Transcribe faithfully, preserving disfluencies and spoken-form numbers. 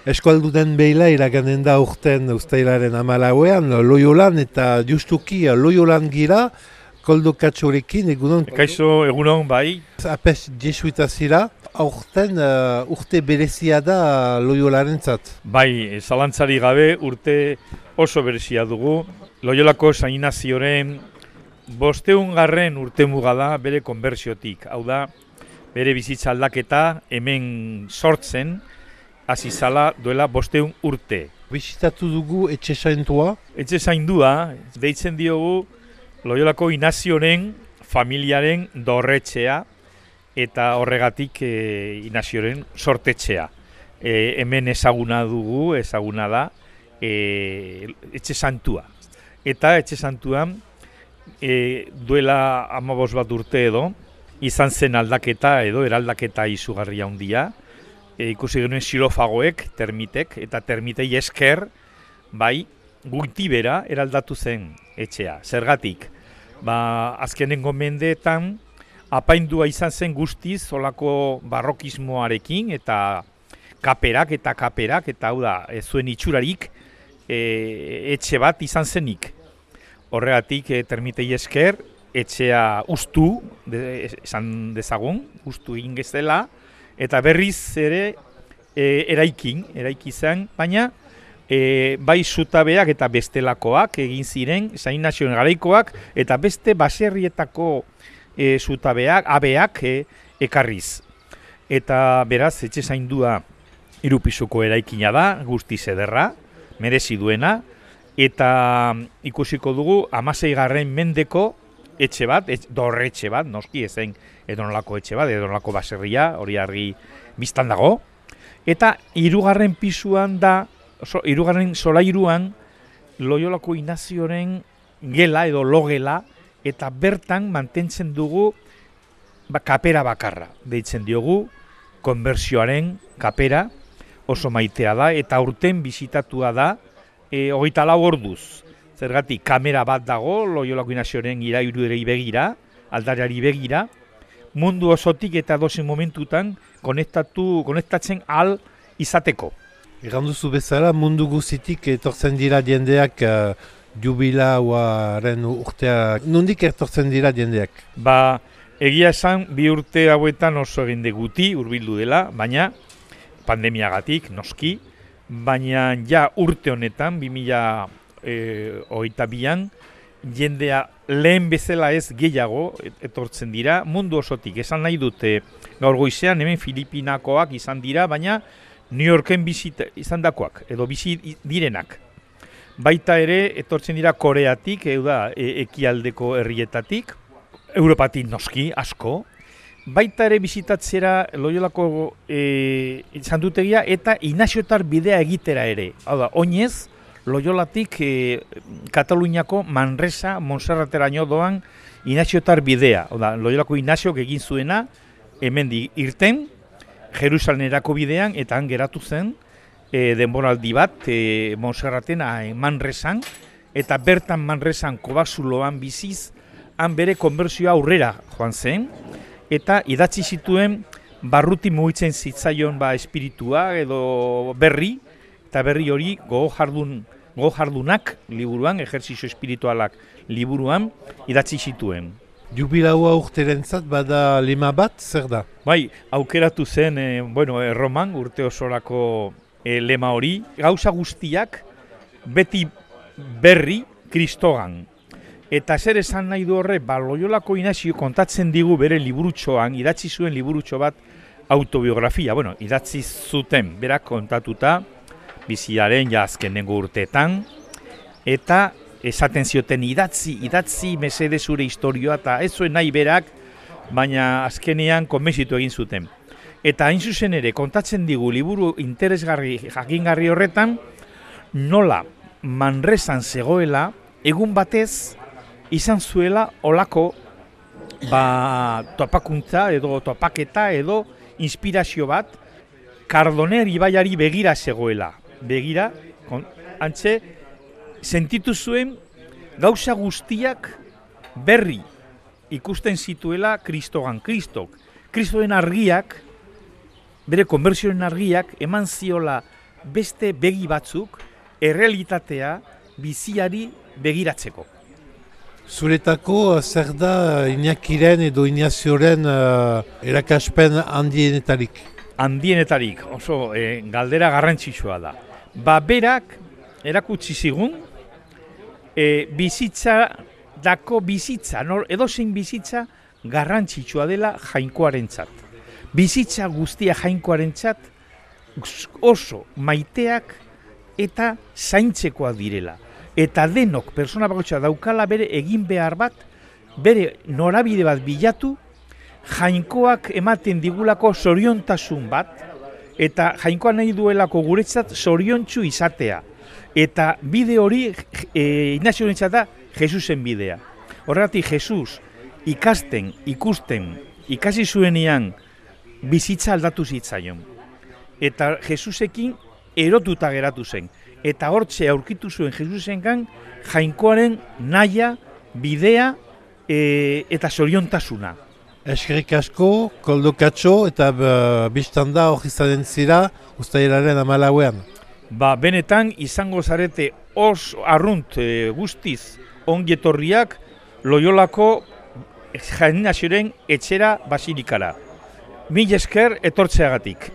Eskualduden behila iraganen da urten ustailaren amalauean, Loiolan eta justuki Loiolan gira, koldo katxorekin egunon. Kaixo egunon bai. Apes jesuita zira, aurten uh, urte berezia da Loiolaren zat. Bai, zalantzari gabe urte oso berezia dugu. Loiolako San Inazioren bosteun garren urte muga da bere konbertsiotik. Hau da, bere bizitza aldaketa hemen sortzen, hasi zala duela bosteun urte. Bisitatu dugu etxe zaintua. Etxe zaindua, deitzen diogu Loiolako Inazioren familiaren dorretxea eta horregatik e, Inazioren sortetxea. E, hemen ezaguna dugu, ezaguna da, e, etxe santua. Eta etxe santuan e, duela hamabost bat urte edo, izan zen aldaketa edo eraldaketa izugarria handia. E, ikusi genuen xilofagoek, termitek, eta termitei esker, bai, goitibera eraldatu zen etxea. Zergatik, ba, azkenengo mendeetan apaindua izan zen guztiz olako barrokismoarekin eta kaperak eta kaperak, eta hau da, ez zuen itxurarik e, etxe bat izan zenik. Horregatik, e, termitei esker, etxea ustu, de, esan dezagun, ustu egin gezela, eta berriz ere e, eraikin, eraiki zen, baina e, bai zutabeak eta bestelakoak egin ziren, San Inazioen garaikoak, eta beste baserrietako e, zutabeak, abeak e, ekarriz. Eta beraz, etxe zaindua hirupisuko eraikina da, guztiz ederra, merezi duena, eta ikusiko dugu hamaseigarren mendeko etxe bat, etxe, dorretxe bat, noski ezen edonolako etxe bat, edonolako baserria, hori argi biztan dago. Eta hirugarren pisuan da, so, hirugarren solairuan, Loiolako Inazioren gela edo logela, eta bertan mantentzen dugu ba, kapera bakarra. Deitzen diogu, konbertsioaren kapera, oso maitea da, eta urten bisitatua da, e, hogeita lau orduz. Zergatik, kamera bat dago, Loiolako Inazioren irairuerei begira, aldareari begira, mundu osotik eta dozen momentutan konektatu, konektatzen ahal izateko. Eganduzu bezala, mundu guzitik etortzen dira jendeak uh, jubilauaren urteak. Nondik etortzen dira jendeak? Ba, egia esan, bi urte hauetan oso egin guti hurbildu dela, baina pandemiagatik, noski, baina ja urte honetan, bi mila hogeita bian, jendea lehen bezala ez gehiago etortzen dira, mundu osotik, esan nahi dute gaur goizean, hemen Filipinakoak izan dira, baina New Yorken bizit izan dakoak, edo bizi direnak. Baita ere, etortzen dira Koreatik, edo da, e ekialdeko herrietatik, Europatik noski, asko, baita ere bizitatzera Loiolako e, santutegia eta Inaziotar bidea egitera ere. Hau da, oinez, Loiolatik e, Kataluniako Manresa, Montserrateraino doan Inaziotar bidea. Oda, Loiolako Inaziok egin zuena, hemen irten, Jerusalenerako bidean, eta han geratu zen, e, denboraldi bat, e, Montserraten, Manresan, eta bertan Manresan Kobazuloan biziz, han bere konbertsioa aurrera joan zen, eta idatzi zituen barruti mugitzen zitzaion ba, espiritua edo berri, eta berri hori gogo jardun, gogo jardunak liburuan, ejerzizio espiritualak liburuan, idatzi zituen. Jubilaua urterentzat bada lema bat, zer da? Bai, aukeratu zen, e, bueno, Erroman urte osorako e, lema hori, gauza guztiak beti berri Kristogan. Eta zer esan nahi du horre, ba, Loiolako Inazio kontatzen digu bere liburutxoan, idatzi zuen liburutxo bat autobiografia, bueno, idatzi zuten, berak kontatuta, biziaren ja azkenengo urteetan, eta esaten zioten idatzi, idatzi mesede zure historioa, eta ez zuen nahi berak, baina azkenean konbentzitu egin zuten. Eta hain zuzen ere, kontatzen digu liburu interesgarri, jakingarri horretan, nola Manresan zegoela, egun batez, izan zuela olako ba, topakuntza edo topaketa edo inspirazio bat Kardoner ibaiari begira zegoela. Begira, kon, antxe, sentitu zuen gauza guztiak berri ikusten zituela Kristogan, Kristok. Kristoen argiak, bere konbertsioen argiak, eman ziola beste begi batzuk errealitatea biziari begiratzeko. Zuretako zer da Iñakiren edo Inazioren uh, erakaspen handienetarik? Handienetarik, oso e, galdera garrantzitsua da. Ba berak erakutsi zigun, e, bizitza dako bizitza, nor, edozein bizitza garrantzitsua dela jainkoarentzat. Bizitza guztia jainkoarentzat oso maiteak eta zaintzekoak direla. Eta denok persona bakoitza daukala bere egin behar bat, bere norabide bat bilatu, jainkoak ematen digulako zoriontasun bat, eta jainkoa nahi duelako guretzat zoriontsu izatea. Eta bide hori e, Inaziorentzat da Jesusen bidea. Horregatik Jesus ikasten, ikusten, ikasi zuenean bizitza aldatu zitzaion. Eta Jesusekin erotuta geratu zen. Eta hortxe aurkitu zuen Jesusengan jainkoaren naia, bidea e, eta zoriontasuna. Eskerrik asko, Koldo Katxo, eta uh, biztan da hori izanen zira uztailaren hamalauean. Ba, benetan izango zarete os arrunt e, guztiz ongietorriak Loiolako Inazioren etxera basilikara. Mil esker etortzeagatik.